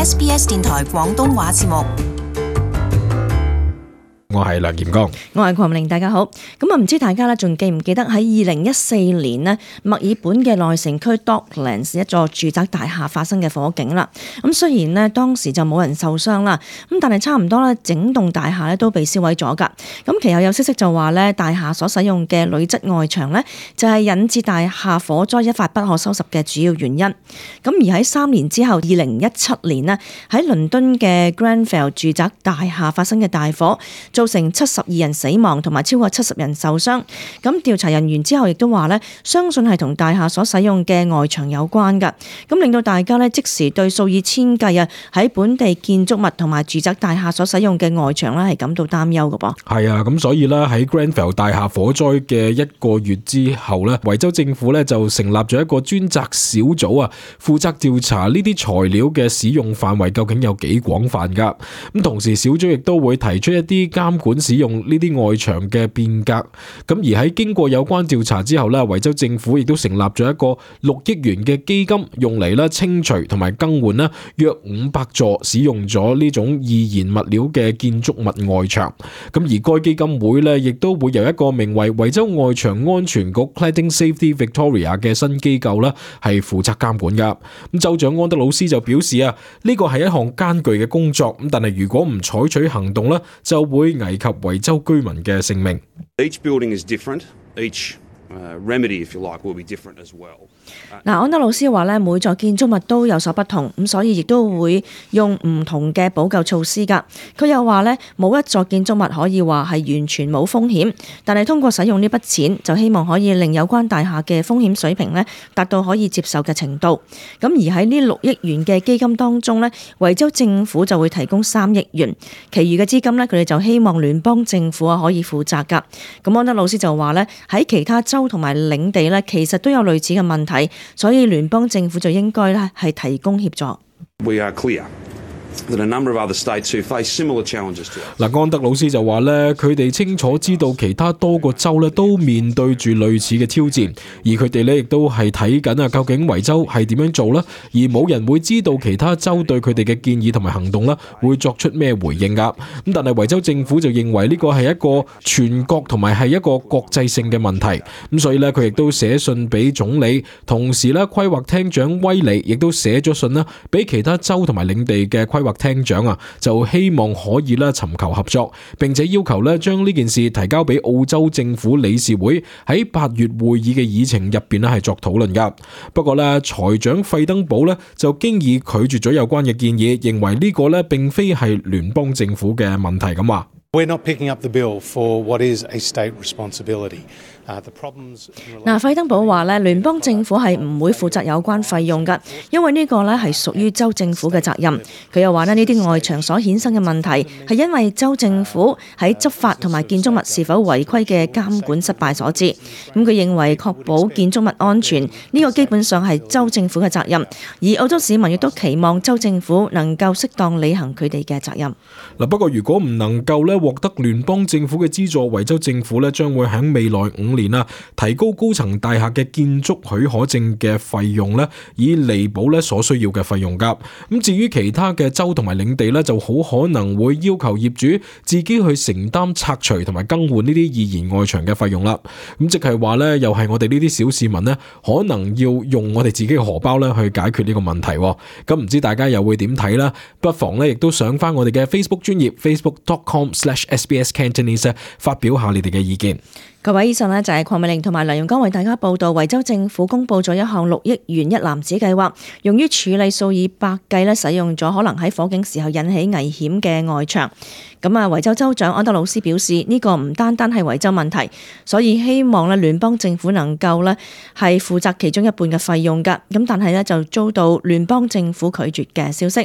SBS 電台廣東話節目。我係梁炎剛，我係鄺明玲，大家好。咁唔知大家咧仲記唔記得喺2014年呢，墨爾本嘅內城區 Docklands 一座住宅大廈發生嘅火警啦。咁雖然呢當時就冇人受傷啦，咁但係差唔多咧整棟大廈咧都被燒毀咗㗎。咁其後有消息就話咧，大廈所使用嘅鋁質外牆咧就係引致大廈火災一發不可收拾嘅主要原因。咁而喺3年之後，2017年呢，喺倫敦嘅 Grenfell 住宅大廈發生嘅大火，造成72人死亡同埋超過70人受傷。咁調查人員之後亦都話咧，相信係同大廈所使用嘅外牆有關㗎。咁令到大家咧即時對數以千計喺本地建築物同埋住宅大廈所使用嘅外牆咧係感到擔憂㗎噃。係啊，咁所以咧喺 Grenfell 大廈火災嘅1個月之後咧，維州政府咧就成立咗一個專責小組啊，負責調查呢啲材料嘅使用範圍究竟有幾廣泛㗎。咁同時小組亦都會提出一啲監管使用呢啲外牆嘅變革。咁而喺經過有關調查之後咧，維州政府亦都成立咗一個6億元嘅基金，用嚟咧清除同埋更換咧約500座使用咗呢種易燃物料嘅建築物外牆。咁而該基金會咧亦都會由一個名為維州外牆安全局 Cladding Safety Victoria 嘅新機構咧係負責監管噶。咁州長安德魯斯就表示啊，呢個係一項艱巨嘅工作，咁但係如果唔採取行動咧，就會危及維州居民嘅性命。Each building is different. Each remedy, if you like, will be different as well. 安德魯斯話咧，每座建築物都有所不同，咁所以亦都會用唔同嘅補救措施㗎。佢又話咧，冇一座建築物可以話係完全冇風險，但係通過使用呢筆錢，就希望可以令有關大廈嘅風險水平咧達到可以接受嘅程度。咁而喺呢6億元嘅基金當中咧，維州政府就會提供3億元，其餘嘅資金咧佢哋就希望聯邦政府可以負責㗎。咁安德魯斯就話咧，喺其他州同埋領地咧，其實都有類似嘅問題，所以聯邦政府就應該咧係提供協助。We are clear that a number of other states who face similar challenges to us. 安德魯斯就話咧，佢哋清楚知道其他多個州咧都面對住類似嘅挑戰，而佢哋咧亦都係睇緊究竟維州係點樣做啦，而冇人會知道其他州對佢哋嘅建議同埋行動啦會作出咩回應噶。咁但係維州政府就認為呢個係一個全國同埋係一個國際性嘅問題，咁所以咧佢亦都寫信俾總理，同時咧規劃廳長威利亦都寫咗信啦俾其他州同埋領地嘅規劃廳長啊，就希望可以咧尋求合作，並且要求咧將呢件事提交俾澳洲政府理事會喺8月會議嘅議程入邊咧係作討論噶。不過咧財長費登堡咧就經已拒絕咗有關嘅建議，認為呢個咧並非係聯邦政府嘅問題咁話。We're not picking up the bill for what is a state responsibility. 費登堡話咧，聯邦政府係唔會負責有關費用㗎，因為呢個咧係屬於州政府嘅責任。佢又話咧，呢啲外牆所衍生嘅問題係因為州政府喺執法同埋建築物是否違規嘅監管失敗所致。咁佢認為確保建築物安全呢個基本上係州政府嘅責任，而澳洲市民亦都期望州政府能夠適當履行佢哋嘅責任。不過如果唔能夠咧獲得聯邦政府嘅資助，維州政府咧將會喺未來5年提高高層大廈嘅建築許可證嘅費用咧，以彌補咧所需要嘅費用噶。咁至於其他嘅州同埋領地咧，就好可能會要求業主自己去承擔拆除同埋更換呢啲易燃外牆嘅費用啦。咁即係話咧，又係我哋呢啲小市民咧，可能要用我哋自己嘅荷包咧去解決呢個問題。咁唔知大家又會點睇啦？不妨咧亦都上翻我哋嘅 Facebook 專頁 facebook.com/SBSCantonese 發表下你哋嘅意見。各位，以上就係鄺美玲同埋梁永剛為大家報道，維州政府公布咗一項6億元一籃子計劃，用於處理數以百計使用咗可能喺火警時候引起危險嘅外牆。維州州長安德魯斯表示，呢個唔單單係維州問題，所以希望聯邦政府能夠係負責其中一半嘅費用㗎。但係就遭到聯邦政府拒絕嘅消息。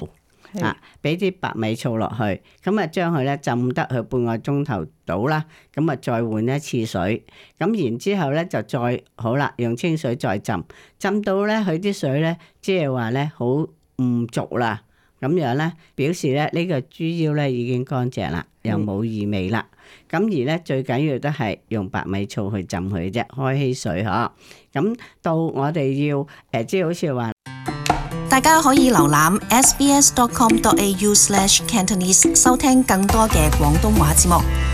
俾啲白米醋落去，咁啊將佢咧浸得佢半個鐘頭到啦，咁啊再換一次水，咁然之後咧就再好啦，用清水再浸，浸到咧佢啲水咧即係話咧好唔濁啦，咁樣咧表示咧呢個豬腰咧已經乾淨啦，又冇異味啦。咁而咧最緊要都係用白米醋去浸佢啫，開稀水嗬。咁到我哋要即係好似話。大家可以瀏覽 sbs.com.au/Cantonese 收聽更多嘅廣東話節目。